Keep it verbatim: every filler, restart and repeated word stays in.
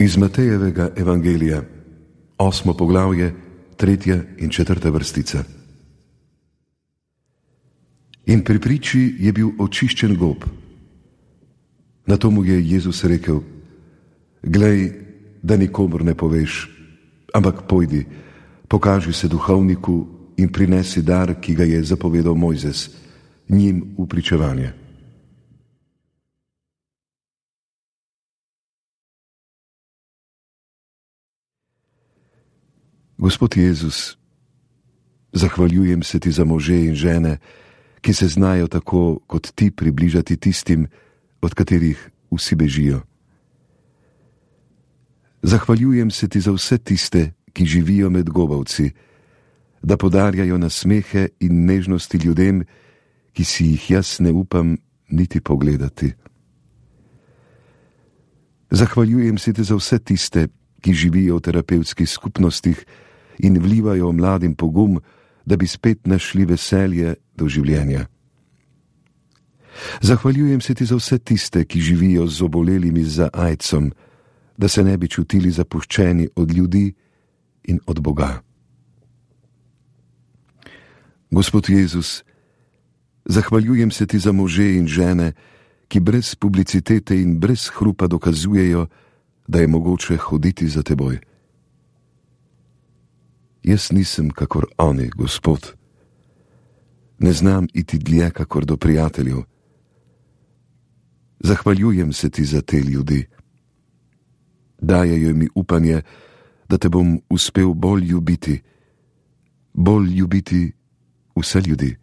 Iz Matejevega evangelija, osmo poglavje, tretja in četrta vrstica. In pri priči je bil očiščen gob. Na to mu je Jezus rekel: Glej, da nikomur ne poveš, ampak pojdi, pokaži se duhovniku in prinesi dar, ki ga je zapovedal Mojzes, njim v pričevanje. Gospod Jezus, zahvaljujem se ti za može in žene, ki se znajo tako kot ti približati tistim, od katerih vsi bežijo. Zahvaljujem se ti za vse tiste, ki živijo med gobavci, da podarjajo nasmehe in nežnosti ljudem, ki si jih jaz ne upam niti pogledati. Zahvaljujem se ti za vse tiste, ki živijo v terapevtskih skupnostih in vlivajo mladim pogum, da bi spet našli veselje do življenja. Zahvaljujem se ti za vse tiste, ki živijo z obolelimi za aidsom, da se ne bi čutili zapuščeni od ljudi in od Boga. Gospod Jezus, zahvaljujem se ti za može in žene, ki brez publicitete in brez hrupa dokazujejo, da je mogoče hoditi za teboj. Jaz nisem kakor oni, Gospod. Ne znam iti dlje kakor do prijateljev. Zahvaljujem se ti za te ljudi. Dajejo mi upanje, da te bom uspel bolj ljubiti, bolj ljubiti vse ljudi.